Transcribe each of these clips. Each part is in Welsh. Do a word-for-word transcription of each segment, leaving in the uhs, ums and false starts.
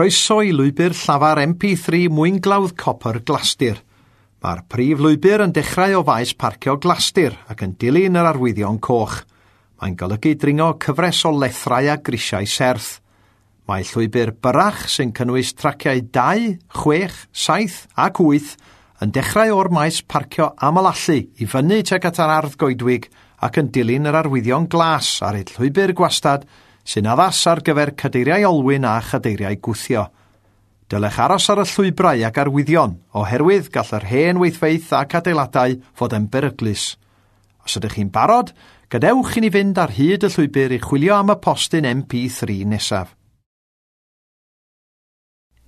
Croeso i lwybr llafar M P three Mwynglawdd Copr Glastir. Mae'r prif lwybr yn dechrau o faes parcio Glastir ac yn dilyn yr arwyddion coch. Mae'n golygu dringo cyfres o lethrau a grisiau serth. Mae llwybr byrrach sy'n cynnwys traciau dau, chwech, saith ac wyth yn dechrau o'r maes parcio aml-allu i fyny tuag at yr ardd goedwig ac yn dilyn yr arwyddion glas ar hyd llwybr gwastad sy'n addas ar gyfer cadeiriau olwyn a chadeiriau gwthio. Dylech aros ar y llwybrau ac arwyddion, oherwydd gall yr hen weithfeydd ac adeiladau fod yn beryglus. Os ydych chi'n barod, gadewch i ni fynd ar hyd y llwybr i chwilio am y postyn M P three nesaf.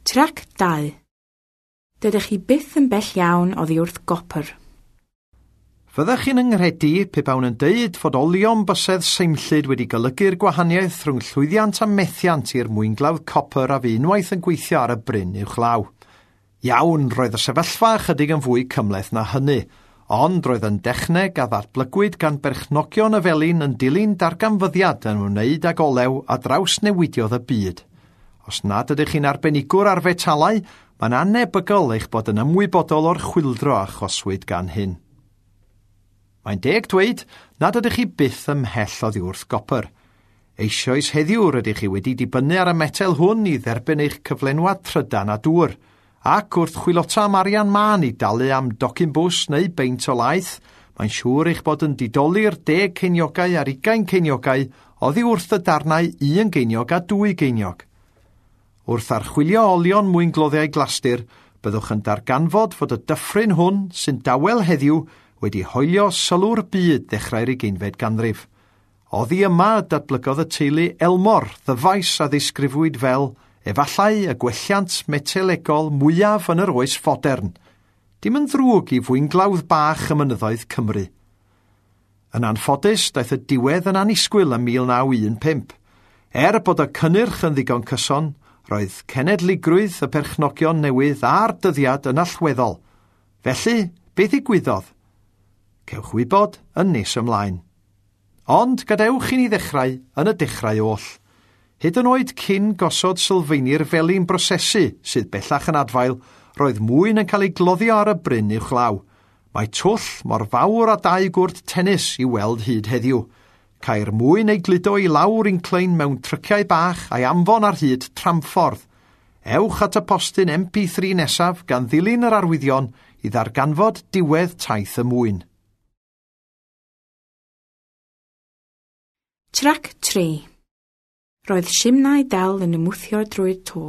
Trac dau. Dydych chi byth yn bell iawn oddi wrth gopr. Fyddech chi'n yngredu pe bawn yn deud fod olion bysedd seimllyd wedi golygu'r gwahaniaeth rhwng llwyddiant a methiant i'r mwynglawdd copr a fu unwaith yn gweithio ar y bryn uwchlaw. Iawn, roedd y sefyllfa ychydig yn fwy cymhleth na hynny, ond roedd yn dechneg a ddatblygwyd gan berchnogion y felin yn dilyn darganfyddiad yn ymwneud ag olew a drawsnewidiodd y byd. Os nad ydych chi'n arbenigwr ar fetalau, mae'n annebygol eich bod yn ymwybodol o'r chwyldro a achoswyd gan hyn. Mae'n deg dweud nad ydych chi byth ymhell oddi wrth gopr. Eisoes heddiw rydych chi wedi dibynnu ar y metel hwn i dderbyn eich cyflenwad trydan a dŵr, ac wrth chwilota am arian mân i dalu am docyn bws neu beint o laeth, mae'n siŵr eich bod yn didoli'r deg ceiniogau a'r ugain ceiniogau oddi wrth y darnau un geiniog a dwy geiniog. Wrth archwilio olion mwyngloddiau Glastir, byddwch yn darganfod fod y dyffryn hwn sy'n dawel heddiw wedi hoelio sylw'r byd ddechrau'r ugeinfed ganrif. Oddi yma datblygodd y teulu Elmor, ddyfais a ddisgrifiwyd fel efallai y gwelliant metelegol mwyaf yn yr oes fodern. Dim yn ddrwg i fwynglawdd bach ym mynyddoedd Cymru. Yn anffodus, daeth y diwedd yn annisgwyl ym mil naw un pump. Er bod y cynnyrch yn ddigon cyson, roedd cenedligrwydd y perchnogion newydd a'r dyddiad yn allweddol. Felly, beth ddigwyddodd? Cewch wybod yn nes ymlaen. Ond gadewch i ni ddechrau yn y dechrau oll. Hyd yn oed cyn gosod sylfaeni'r felin brosesu sydd bellach yn adfail, roedd mwyn yn cael ei gloddio ar y bryn uwchlaw. Mae twll mor fawr â dau gwrt tennis i weld hyd heddiw. Cair mwyn ei gludo i lawr inclein mewn tryciau bach a'i anfon ar hyd tramffordd. Ewch at y postyn M P three nesaf gan ddilyn yr arwyddion i ddarganfod diwedd taith y mwyn. Trac tri. Roedd simnai dal yn ymwthio drwy'r to.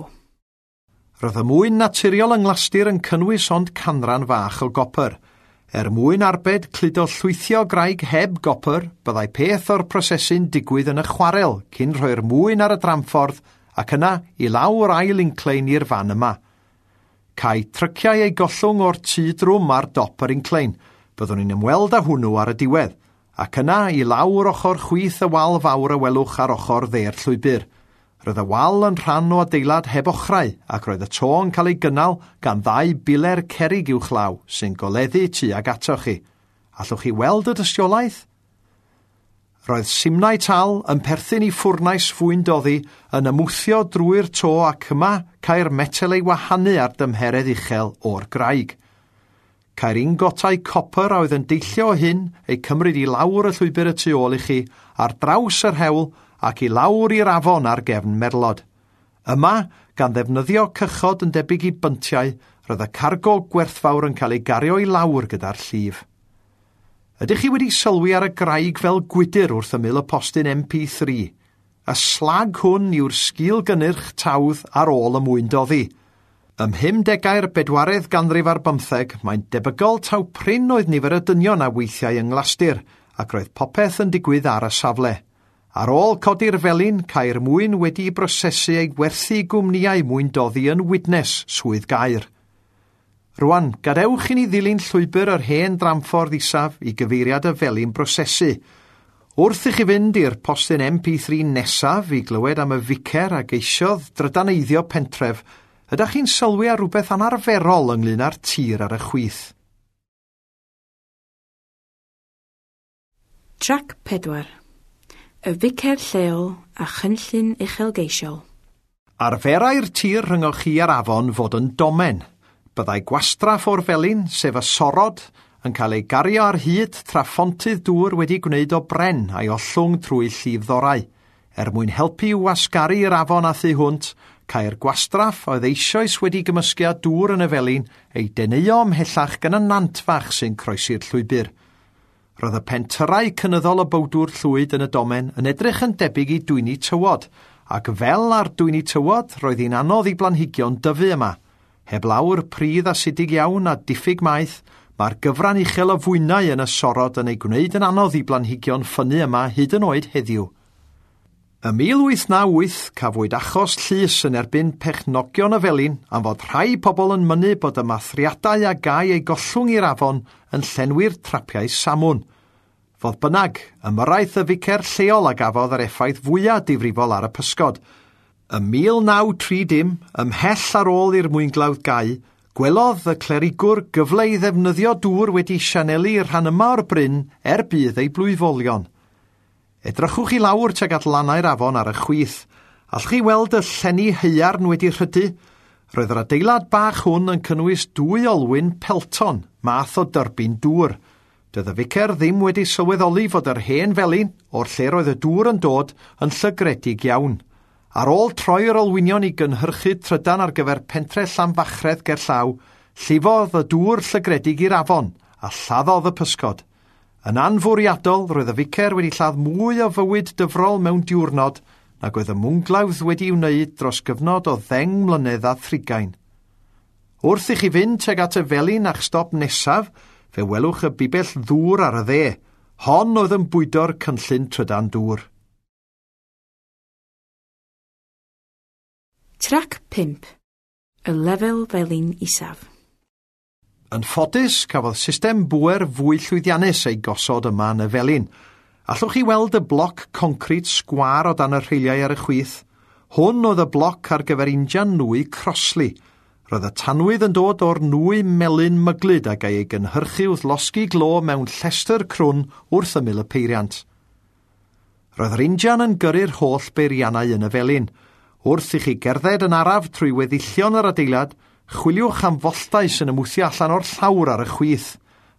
Roedd y mwyn naturiol yng Nglastir yn cynnwys ond canran fach o gopr. Er mwyn arbed cludo llwythio graig heb gopr, byddai peth o'r prosesu'n digwydd yn y chwarel cyn rhoi'r mwyn ar y dramffordd ac yna i lawr ail inclein i'r fan yma. Cai tryciau ei gollwng o'r tŷ drwm ar dop yr inclein. Byddwn ni'n ymweld â hwnnw ar y diwedd, ac yna i lawr ochr chwith y wal fawr y welwch ar ochr dde'r llwybr. Roedd y wal yn rhan o adeilad heb ochrau ac roedd y to yn cael ei gynnal gan ddau biler cerrig uwchlaw sy'n goleddu tuag atoch chi. Allwch chi weld y dystiolaeth? Roedd simnai tal yn perthyn i ffwrnais fwyndoddi yn ymwthio drwy'r to ac yma cair metel ei wahanu ar dymheredd uchel o'r graig. Cair ingotau copr a oedd yn deillio o hyn eu cymryd i lawr y llwybr y tu ôl i chi ar draws yr hewl ac i lawr i'r afon ar gefn merlod. Yma, gan ddefnyddio cychod yn debyg i byntiau, roedd y cargo gwerthfawr yn cael ei gario i lawr gyda'r llif. Ydych chi wedi sylwi ar y graig fel gwydr wrth ymyl y postyn M P three? Y slag hwn yw'r sgil gynnyrch tawdd ar ôl y mwyndoddi. Ym mhumdegau'r bedwaredd ganrif ar bymtheg, mae'n debygol taw prin oedd nifer y dynion a weithiau yng Nglastir, ac roedd popeth yn digwydd ar y safle. Ar ôl codi'r felin, cair mwyn wedi'i brosesu ei gwerthu i gwmnïau mwyndoddi yn Widnes, Swydd Gaer. Rwan, gadewch i ni ddilyn llwybr yr hen dramffordd isaf i gyfeiriad y felin brosesu. Wrth i chi fynd i'r postyn M P three nesaf i glywed am y ficer a geisiodd drydaneiddio pentref, ydych chi'n sylwi ar rhywbeth anarferol ynglyn â'r tir ar y chwith. Trac pedwar. Y ficer lleol a chynllun uchelgeisiol. Arferai'r tir rhyngoch chi a'r afon fod yn domen. Byddai gwastraff o'r felin, sef y sorod, yn cael ei gario ar hyd tra phontydd dŵr wedi gwneud o bren a'i ollwng trwy llifddorau. Er mwyn helpu i'w wasgaru i'r afon a thu hwnt, cae'r gwastraff oedd eisoes wedi gymysgu â dŵr yn y felin ei deneuo ymhellach gan y nant fach sy'n croesi'r llwybr. Roedd y pentyrrau cynyddol o bowdwr llwyd yn y domen yn edrych yn debyg i dwyni tywod, ac fel ar dwyni tywod roedd hi'n anodd i blanhigion dyfu yma. Heb lawr pridd asidig iawn a diffyg maeth, mae'r gyfran uchel o fwynau yn y sorod yn ei gwneud yn anodd i blanhigion ffynnu yma hyd yn oed heddiw. Ym mil wyth naw wyth cafwyd achos llys yn erbyn pechnogion y felin am fod rhai pobl yn mynnu bod y mathriadau a gai eu gollwng i'r afon yn llenwi'r trapiau samwn. Fodd bynnag, ymyrraeth y ficer lleol a gafodd yr effaith fwyaf difrifol ar y pysgod. Ym mil naw tri dim, ymhell ar ôl i'r mwynglawdd gau, gwelodd y clerigwr gyfle i ddefnyddio dŵr wedi sianelu rhan yma o'r bryn er budd ei blwyfolion. Edrychwch i lawr tuag at lannau'r afon ar y chwith. Allwch chi weld y llenni haearn wedi rhydu? Roedd yr adeilad bach hwn yn cynnwys dwy olwyn Pelton, math o dyrbin dŵr. Doedd y ficer ddim wedi sylweddoli fod yr hen felin, o'r lle roedd y dŵr yn dod, yn llygredig iawn. Ar ôl troi'r olwynion i gynhyrchu trydan ar gyfer pentre Llanfachredd gerllaw, llifodd y dŵr llygredig i'r afon a lladdodd y pysgod. Yn anfwriadol, roedd y ficer wedi lladd mwy o fywyd dyfrol mewn diwrnod nag oedd y mwynglawdd wedi'i wneud dros gyfnod o ddeng mlynedd a thrigain. Wrth i chi fynd tuag at y felin a'ch stop nesaf, fe welwch y bibell ddŵr ar y dde. Hon oedd yn bwydo'r cynllun trydan dŵr. Trac pump. Y lefel felin isaf. Yn ffodus, cafodd system bŵer fwy llwyddiannus ei gosod yma yn y felin. Allwch chi weld y bloc concrit sgwâr o dan y rheiliau ar y chwith? Hwn oedd y bloc ar gyfer injan nwy Crossley. Roedd y tanwydd yn dod o'r nwy melyn myglyd a gai ei gynhyrchu wrth losgi glo mewn llestr crwn wrth ymyl y peiriant. Roedd yr injan yn gyrru'r holl beiriannau yn y felin. Wrth i chi gerdded yn araf trwy weddillion yr adeilad, chwiliwch am folltau sy'n ymwthio allan o'r llawr ar y chwith.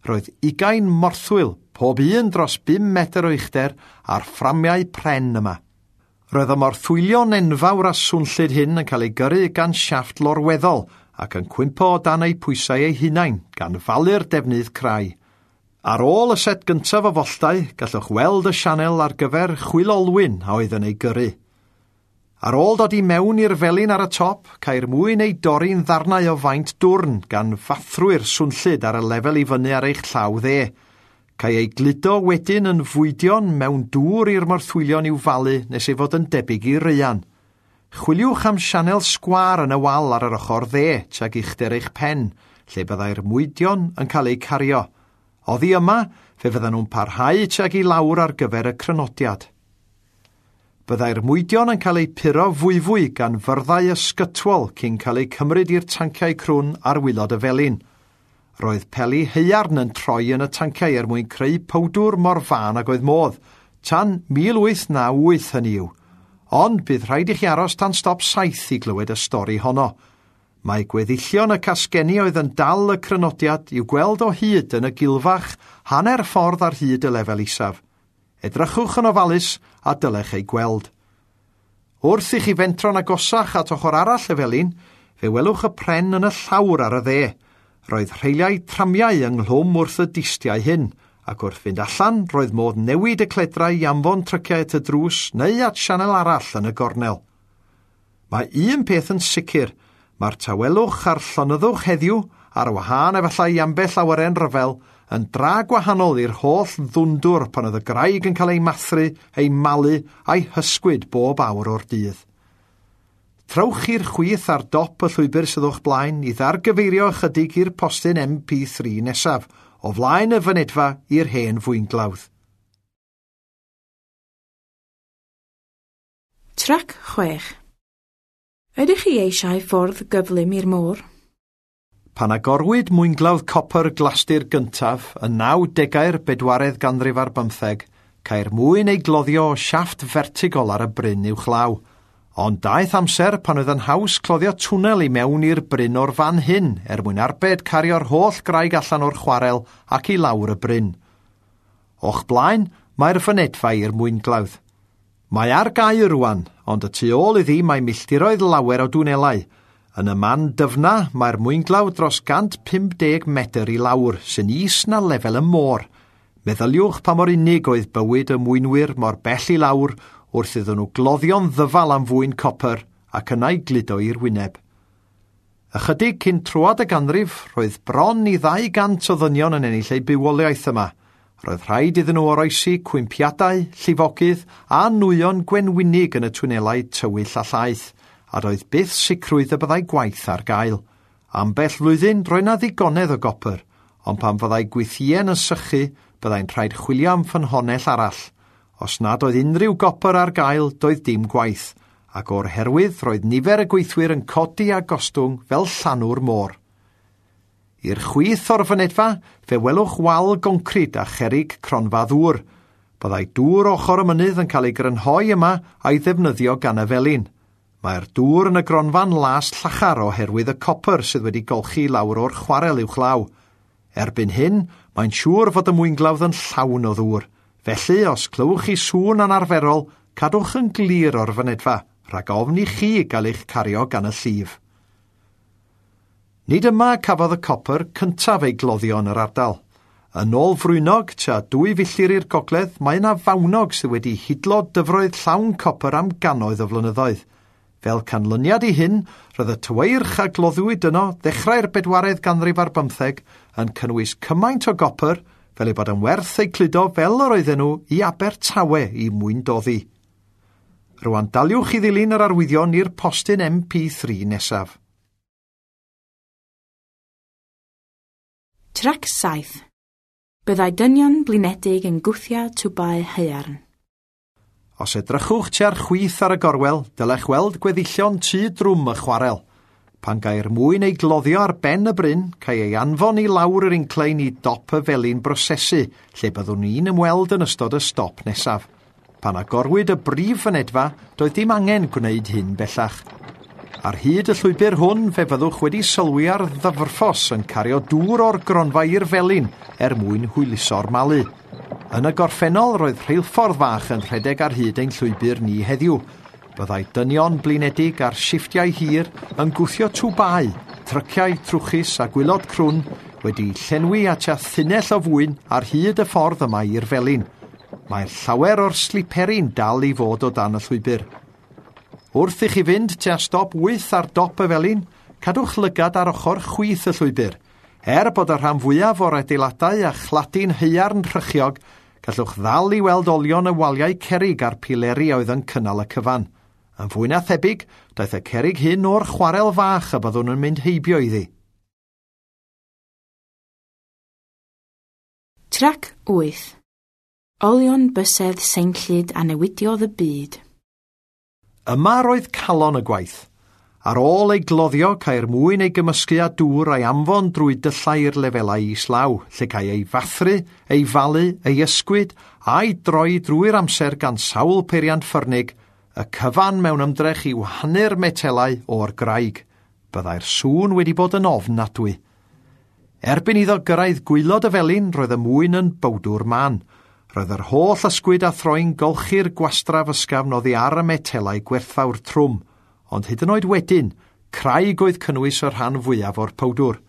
Roedd ugain morthwyl, pob un dros bum metr o uchder, a'r fframiau pren yma. Roedd y morthwylion enfawr a swnllyd hyn yn cael ei gyrru gan siafft lorweddol ac yn cwympo o dan eu pwysau eu hunain, gan falu'r defnydd crai. Ar ôl y set gyntaf o folltau, gallwch weld y sianel ar gyfer chwilolwyn a oedd yn ei gyrru. Ar ôl dod i mewn i'r felin ar y top, cair mwyn ei dorri'n ddarnau o faint dwrn gan fathrwyr swnllyd ar y lefel i fyny ar eich llaw dde. Cai ei gludo wedyn yn fwydion mewn dŵr i'r morthwylion i'w falu nes ei fod yn debyg i raean. Chwiliwch am sianel sgwâr yn y wal ar yr ochr dde tuag uchder eich pen, lle byddai'r mwydion yn cael eu cario. Oddi yma, fe fyddan nhw'n parhau tuag i lawr ar gyfer y crynodiad. Byddai'r mwydion yn cael eu puro fwyfwy gan fyrddau ysgytwol cyn cael eu cymryd i'r tanciau crwn ar waelod y felin. Roedd peli haearn yn troi yn y tanciau er mwyn creu powdwr mor fân ag oedd modd, tan mil wyth naw wyth hynny yw. Ond bydd rhaid i chi aros tan stop saith i glywed y stori honno. Mae gweddillion y casgenni oedd yn dal y crynodiad i'w gweld o hyd yn y gilfach hanner ffordd ar hyd y lefel isaf. Edrychwch yn ofalus a dylech ei gweld. Wrth i chi fentro'n agosach at ochr arall y felin, fe welwch y pren yn y llawr ar y dde. Roedd rheiliau tramiau ynghlwm wrth y distiau hyn, ac wrth fynd allan roedd modd newid y cledrau i anfon tryciau at y drws neu at sianel arall yn y gornel. Mae un peth yn sicr, mae'r tawelwch a'r llonyddwch heddiw, ar wahân efallai i ambell awyren ryfel, yn dra gwahanol i'r holl ddwndwr pan oedd y graig yn cael ei mathru, ei malu a'i hysgwyd bob awr o'r dydd. Trowch i'r chwith ar dop y llwybr sydd o'ch blaen i ddargyfeirio ychydig i'r postyn M P three nesaf, o flaen y fynedfa i'r hen fwynglawdd. Trac chwech. Ydych chi eisiau ffordd gyflym i'r môr? Pan agorwyd mwynglawdd copr Glastir gyntaf yn nawdegau'r bedwaredd ganrif ar bymtheg, cair mwyn ei gloddio o siafft fertigol ar y bryn uwchlaw. Ond daeth amser pan oedd yn haws cloddio twnnel i mewn i'r bryn o'r fan hyn er mwyn arbed cario'r holl graig allan o'r chwarel ac i lawr y bryn. O'ch blaen, mae'r fynedfa i'r mwynglawdd. Mae ar gau rwan, ond y tu ôl iddi mae milltiroedd lawer o dwnelau. Yn y man dyfna, mae'r mwynglawdd dros cant pump deg metr i lawr, sy'n is na lefel y môr. Meddyliwch pa mor unig oedd bywyd y mwynwyr mor bell i lawr wrth iddyn nhw gloddio'n ddyfal am fwyn copr ac yna'i gludo i'r wyneb. Ychydig cyn troad y ganrif, roedd bron i ddau gant o ddynion yn ennill eu bywoliaeth yma. Roedd rhaid iddyn nhw oroesi cwympiadau, llifogydd a nwyon gwenwynig yn y twnelau tywyll a llaeth, a doedd byth sicrwydd y byddai gwaith ar gael. Ambell flwyddyn roedd 'na ddigonedd o gopr, ond pan fyddai gwythïen yn sychu, byddai'n rhaid chwilio am ffynhonnell arall. Os nad oedd unrhyw gopr ar gael, doedd dim gwaith, ac o'r herwydd roedd nifer y gweithwyr yn codi a gostwng fel llanw'r môr. I'r chwith o'r fynedfa, fe welwch wal goncrid a cherrig cronfa ddŵr. Byddai dŵr ochr y mynydd yn cael ei grynhoi yma a'i ddefnyddio gan y felin. Mae'r dŵr yn y gronfa'n las llachar oherwydd y copr sydd wedi golchi lawr o'r chwarel uwchlaw. Erbyn hyn, mae'n siŵr fod y mwynglawdd yn llawn o ddŵr. Felly, os clywch chi sŵn anarferol, cadwch yn glir o'r fynedfa, rhag ofn i chi gael eich cario gan y llif. Nid yma cafodd y copr cyntaf ei gloddio yn yr ardal. Yn ôl Frwynog, tua dwy filltir i'r gogledd, mae yna fawnog sydd wedi hidlo dyfroedd llawn copr am gannoedd o flynyddoedd. Fel canlyniad i hyn, roedd y tyweirch a gloddiwyd yno ddechrau'r bedwaredd ganrif ar bymtheg yn cynnwys cymaint o gopr fel ei bod yn werth eu cludo fel yr oedden nhw i Abertawe i mwyndoddi. Rwan daliwch i ddilyn yr arwyddion i'r postyn M P three nesaf. Trac saith. Byddai dynion blinedig yn gwthio twbau haearn. Os edrychwch tua'r chwith ar y gorwel, dylech weld gweddillion tŷ drwm y chwarel. Pan gai'r mwyn ei gloddio ar ben y bryn, cae ei anfon i lawr yr inclein i dop y felin brosesu, lle byddwn ni'n ymweld yn ystod y stop nesaf. Pan agorwyd y brif fynedfa, doedd dim angen gwneud hyn bellach. Ar hyd y llwybr hwn, fe fyddwch wedi sylwi ar ddyfrffos yn cario dŵr o'r gronfa i'r felin er mwyn hwyluso'r malu. Yn y gorffennol, roedd rheilffordd fach yn rhedeg ar hyd ein llwybr ni heddiw. Byddai dynion blinedig ar shifftiau hir yn gwthio twbau, tryciau trwchus a gwylod crwn wedi llenwi at a thunell o fwyn ar hyd y ffordd yma i'r felin. Mae'r llawer o'r sliperi'n dal i fod o dan y llwybr. Wrth i chi fynd tua stop wyth ar dop y felin, cadwch lygad ar ochr chwith y llwybr. Er bod y rhan fwyaf o'r adeiladau a chladin haearn rhychiog, gallwch ddal i weld olion y waliau cerrig a'r pileri oedd yn cynnal y cyfan. Yn fwy na thebyg, daeth y cerrig hyn o'r chwarel fach y byddwn yn mynd heibio iddi. Trac wyth. Olion bysedd seimllyd a newidiodd y byd. Yma roedd calon y gwaith. Ar ôl ei gloddio, cae'r mwyn ei gymysgu â dŵr a'i anfon drwy dyllau i'r lefelau islaw, lle cae ei fathru, ei falu, ei ysgwyd a'i droi drwy'r amser gan sawl peiriant ffyrnig, y cyfan mewn ymdrech i wahanu'r metelau o'r graig. Byddai'r sŵn wedi bod yn ofnadwy. Erbyn iddo gyrraedd gwaelod y felin, roedd y mwyn yn bowdwr man. Roedd yr holl ysgwyd a throi'n golchi'r gwastraff ysgafn oddi ar y metelau gwerthfawr trwm, ond hyd yn oed wedyn, craig oedd cynnwys y rhan fwyaf o'r powdwr.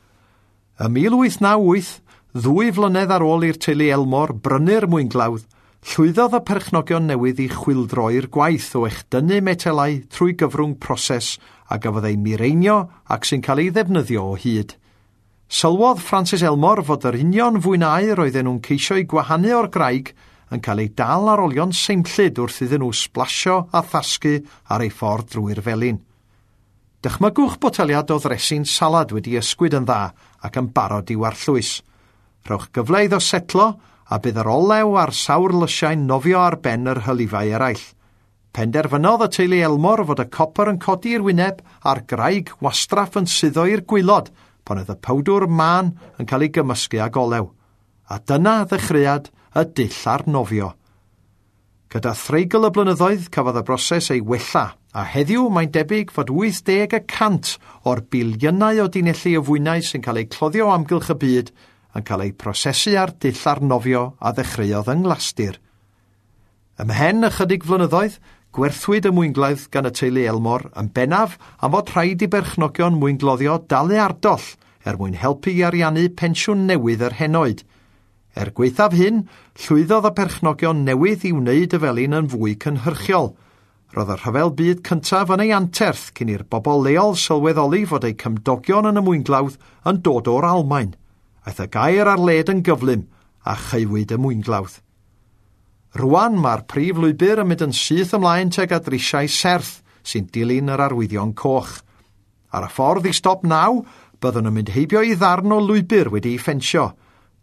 Ym mil wyth naw wyth, ddwy flynedd ar ôl i'r teulu Elmore brynu'r mwynglawdd, llwyddodd y perchnogion newydd i chwyldroi'r gwaith o echdynnu metelau trwy gyfrwng proses a gafodd ei mireinio ac sy'n cael ei ddefnyddio o hyd. Sylwodd Francis Elmore fod yr union fwynau roedden nhw'n ceisio eu gwahanu o'r graig yn cael ei dal ar olion seimllyd wrth iddyn nhw sblasio a thasgu ar ei ffordd drwy'r felin. Dychmygwch boteliad o ddresin salad wedi ysgwyd yn dda ac yn barod i'w arllwys. Rhowch gyfle iddo setlo a bydd yr olew a'r sawr lysiau'n nofio ar ben yr hylifau eraill. Penderfynodd y teulu Elmore fod y copr yn codi i'r wyneb a'r graig wastraff yn suddo i'r gwaelod pan oedd y powdwr mân yn cael ei gymysgu ag olew. A dyna ddechreuad y dull ar nofio. Gyda threigl y blynyddoedd cafodd y broses ei wella A heddiw mae'n debyg fod wyth deg y cant o'r biliynau o dunelli o fwynau sy'n cael eu cloddio o amgylch y byd yn cael eu prosesu ar dull arnofio a ddechreuodd yng Nglastir. Ymhen ychydig flynyddoedd, gwerthwyd y mwynglawdd gan y teulu Elmore yn bennaf am fod rhaid i berchnogion mwyngloddio dalu ardoll er mwyn helpu i ariannu pensiwn newydd yr henoed. Er gwaethaf hyn, llwyddodd y perchnogion newydd i wneud y felin yn fwy cynhyrchiol. Roedd y rhyfel byd cyntaf yn ei anterth cyn i'r bobl leol sylweddoli fod eu cymdogion yn y mwynglawdd yn dod o'r Almaen. Aeth y gair ar led yn gyflym a chaewyd y mwynglawdd. Rwan mae'r prif lwybr yn mynd yn syth ymlaen tuag at risiau serth sy'n dilyn yr arwyddion coch. Ar y ffordd i stop naw, byddwn yn mynd heibio i ddarn o lwybr wedi'i ffensio.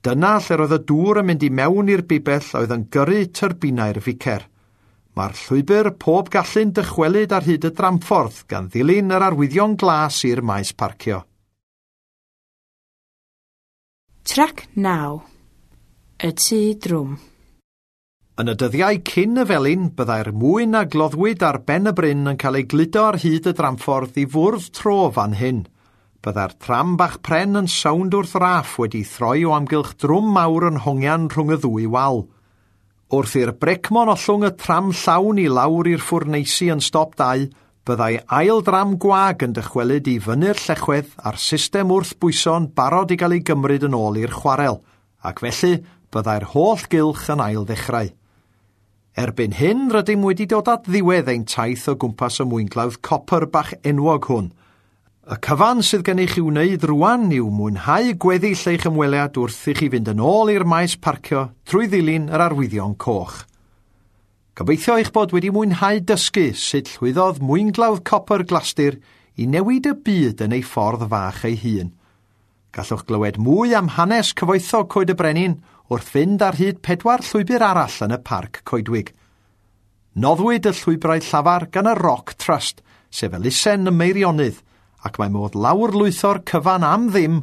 Dyna lle roedd y dŵr yn mynd i mewn i'r bibell oedd yn gyrru tyrbinau'r ficer. Mae'r llwybr pob gallu'n dychwelyd ar hyd y dramffordd gan ddilyn yr arwyddion glas i'r maes parcio. Trac naw. Y tŷ drwm. Yn y dyddiau cyn y felin, byddai'r mwyn a gloddwyd ar ben y bryn yn cael ei gludo ar hyd y dramffordd i fwrdd tro fan hyn. Byddai'r tram bach pren yn sownd wrth raff wedi throi o amgylch drwm mawr yn hongian rhwng y ddwy wal. Wrth i'r brecmon ollwng y tram llawn i lawr i'r ffwrneisi yn stop dau, byddai ail dram gwag yn dychwelyd i fyny'r llechwedd a'r system wrthbwyso'n barod i gael ei gymryd yn ôl i'r chwarel, ac felly byddai'r holl gylch yn ail ddechrau. Erbyn hyn, rydym wedi dod at ddiwedd ein taith o gwmpas y mwynglawdd copr bach enwog hwn. Y cyfan sydd gennych i'w wneud rwan yw mwynhau gweddill eich ymweliad wrth i chi fynd yn ôl i'r maes parcio trwy ddilyn yr arwyddion coch. Gobeithio eich bod wedi mwynhau dysgu sut llwyddodd mwynglawdd copr Glastir i newid y byd yn ei ffordd fach ei hun. Gallwch glywed mwy am hanes cyfoethog Coed y Brenin wrth fynd ar hyd pedwar llwybr arall yn y parc coedwig. Noddwyd y llwybrau llafar gan y Rock Trust, sef elusen y Meirionnydd, ac mae modd lawrlwytho'r cyfan am ddim